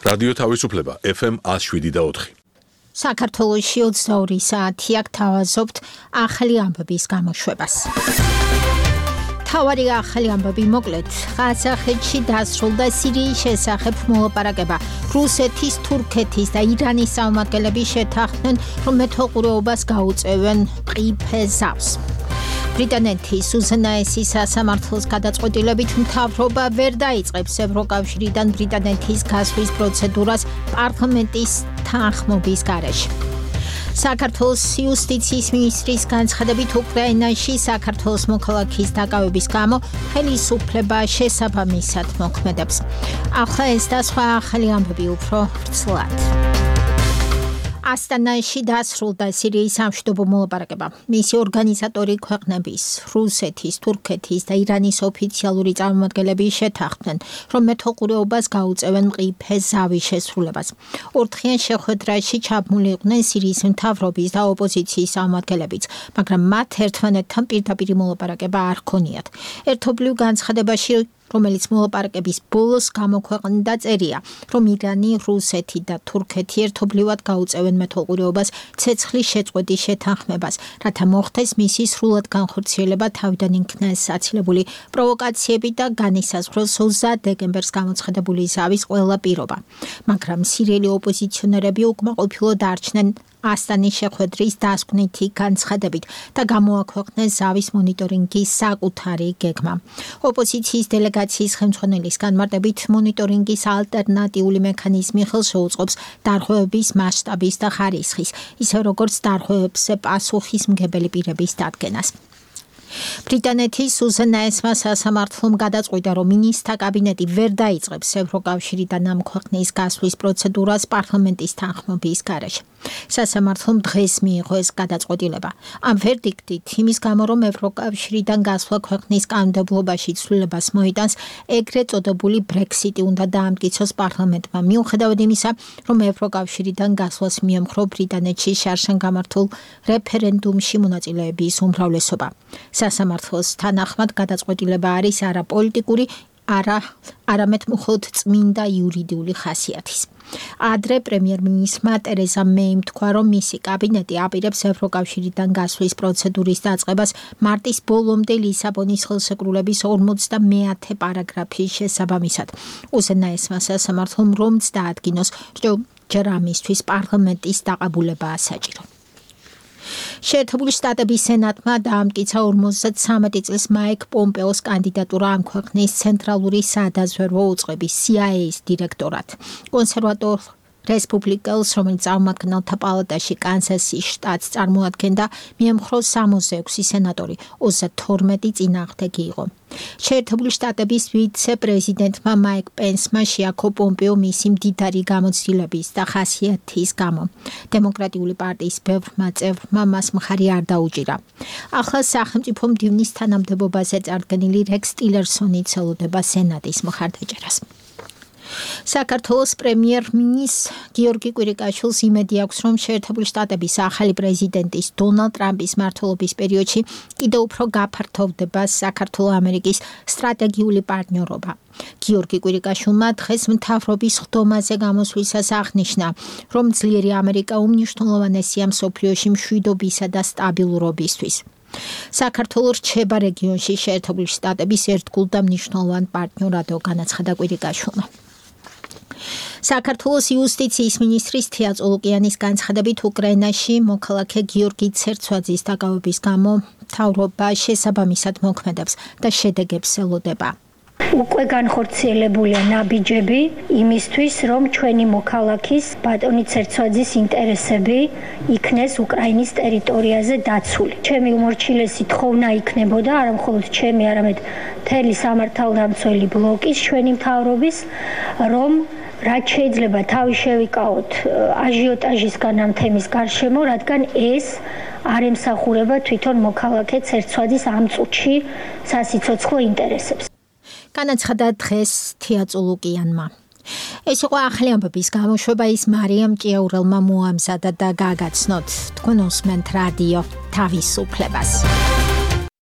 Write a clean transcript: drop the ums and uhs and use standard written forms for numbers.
რადიო თავისუფლება FM 107.4. საქართველოში 22 საათია გთავაზობთ ახალი ამბების გამოშვებას. თავარი ახალი ამბები მოკლედ. ყაზახეთში დასრულდა სირიის შესახებ მოლაპარაკება. რუსეთის, თურქეთის და ირანის წარმომადგენლები შეთანხმდნენ, რომ მეთვალყურეობას გაუწევენ მყიფე ზავს. ბრიტანეთის უზენაესი სასამართლოს გადაწყვეტილებით მთავრობა ვერ დაიწყებს ევროკავშირიდან ბრიტანეთის გასვლის პროცედურას პარლამენტის თანხმობის გარეშე. საქართველოს იუსტიციის მინისტრის განცხადებით უკრაინაში საქართველოს მოქალაქის დაკავების გამო ხელისუფლება შესაბამისად მოქმედებს. ახლა ეს და სხვა ახალი ამბები უფრო ვრცლად. ასტანაში დასრულდა სირიის სამშვიდობო მოლაპარაკება. მისი ორგანიზატორი ქვეყნების, რუსეთის, თურქეთის და ირანის ოფიციალური წარმომადგენლები შეთანხმდნენ, რომ მეთვალყურეობას გაუწევენ მყიფე ზავის შესრულებას. ორდღიან შეხვედრაში ჩაბმული იყვნენ სირიის მთავრობის და ოპოზიციის წარმომადგენლებიც, მაგრამ მათ ერთმანეთთან პირდაპირ მოლაპარაკება არ ჰქონიათ. ერთობლივ განცხადებაში რომელიც მოლაპარაკების ბოლოს გამოქვეყნდა წერია, რომ ირანი, რუსეთი და თურქეთი ერთობლივად გაუწევენ მეთვალყურეობას ცეცხლის შეწყვეტის შეთანხმებას, რათა მოხდეს მისი სრულად განხორციელება თავიდან იქნეს აცილებული პროვოკაციები და განისაზღვროს 20 დეკემბერს გამოცხადებული ზავის ყველა პირობა. მაგრამ სირიელი ოპოზიციონერები უკმაყოფილო დარჩნენ ასტანის შეხვედრის დასკვნითი განცხადებით და გამოაქვეყნეს ზავის მონიტორინგის საკუთარი გეგმა. ოპოზიციის დელეგაციის ხელმძღვანელის განმარტებით მონიტორინგის ალტერნატიული მექანიზმი ხელს შეუწყობს დარღვევების მასშტაბის და ხარისხის, ისე როგორც დარღვევებზე პასუხისმგებელი პირების დადგენას. ბრიტანეთის უზენაესმა სასამართლომ გადაწყვიტა, რომ მინისტრთა კაბინეტი ვერ დაიწყებს ევროკავშირიდან ამ ქვეყნის გასვლის პროცედურას პარლამენტის თანხმობის გარეშე. სასამართლომ დღეს მიიღო ეს გადაწყვეტილება. ამ ვერდიქტით იმის გამო, რომ ევროკავშირიდან გასვლა ქვეყნის კანონმდებლობაში ცვლილებას მოიტანს, ეგრეთ წოდებული ბრექსიტი უნდა დაამტკიცოს პარლამენტმა, მიუხედავად იმისა, რომ ევროკავშირიდან გასვლას მიემხრო ბრიტანეთში შარშან გამართულ რეფერენდუმში მონაწილეების უმრავლესობა. სასამართლოს თანახმად გადაწყვეტილება არის არა პოლიტიკური, არამედ მხოლოდ წმინდა იურიდიული ხასიათის. ადრე პრემიერ-მინისტრმა ტერეზა მეიმ თქვა, რომ მისი კაბინეტი აპირებს ევროკავშირიდან გასვლის პროცედურის დაწყებას მარტის ბოლომდე ლისაბონის ხელშეკრულების 50 პარაგრაფის შესაბამისად. უზენაესმა სასამართლომ რომც დაადგინოს, ჯერ ამისთვის პარლამენტის დაყაბულებაა საჭირო. შეერთებული შტატების სენატმა დაამტკიცა 53 წლის მაიკ პომპეოს კანდიდატურა ამ ქვეყნის ცენტრალური სადაზვერვო უწყების CIA-ის დირექტორად. კონსერვატორ რესპუბლიკელს, რომელიც წარმომადგენელთა პალატაში კანსასის შტატს წარმოადგენდა, მიემხრო 66 სენატორი, 32 წინააღმდეგი იყო. შეერთებული შტატების ვიცე-პრეზიდენტმა მაიკ პენსმა შეაქო პომპეო მისი მდიდარი გამოცდილების და ხასიათის გამო. დემოკრატიული პარტიის ბევრმა წევრმა მას მხარი არ დაუჭირა. ახლა სახელმწიფო მდივნის თანამდებობაზე წარდგენილი რექს ტილერსონი ელოდება სენატის მხარდაჭერას. საქართველოს პრემიერ-მინისტრ გიორგი კვირიკაშვილს იმედი აქვს, რომ შეერთებული შტატების ახალი პრეზიდენტის დონალდ ტრამპის მმართველობის პერიოდში კიდევ უფრო გაფართოვდება საქართველო-ამერიკის სტრატეგიული პარტნიორობა. გიორგი კვირიკაშვილმა დღეს მთავრობის ხდომაზე გამოსვლისას აღნიშნა, რომ ძლიერი ამერიკა უმნიშვნელოვანესია მსოფლიოში მშვიდობისა და სტაბილურობისთვის. საქართველო რჩება რეგიონში შეერთებული შტატების ერთგულ და მნიშვნელოვან პარტნიორად, განაცხადა კვირიკაშვილმა. საქართველოს იუსტიციის მინისტრის თია წოლუკიანის განცხადებით უკრაინაში მოქალაქე გიორგი ცერცვაძის დაკავების გამო მთავრობა შესაბამისად მოქმედებს და შედეგებს ელოდება. უკვე განხორციელებულია ნაბიჯები იმისთვის, რომ ჩვენი მოქალაქის ბატონი ცერცვაძის ინტერესები იქნეს უკრაინის ტერიტორიაზე დაცული. ჩემი უმორჩილესი თხოვნა იქნებოდა არა მხოლოდ ჩემი, არამედ მთელი სამართალდამცველი ბლოკის ჩვენი მთავრობის, რომ რაც შეიძლება თავი შევიკავოთ აჟიოტაჟისგან ამ თემის გარშემო, რადგან ეს არ ემსახურება თვითონ მოქალაქე ცერცვაძის ამ წუთში სასიცოცხლო ინტერესებს. განაცხადა დღეს თია წოლუკიანმა. ეს იყო ახალი ამბების გამოშვება, ის მარიამ ჭიაურელმა მოამზადა და გაგაცნოთ. თქვენ უსმენთ რადიო თავისუფლებას.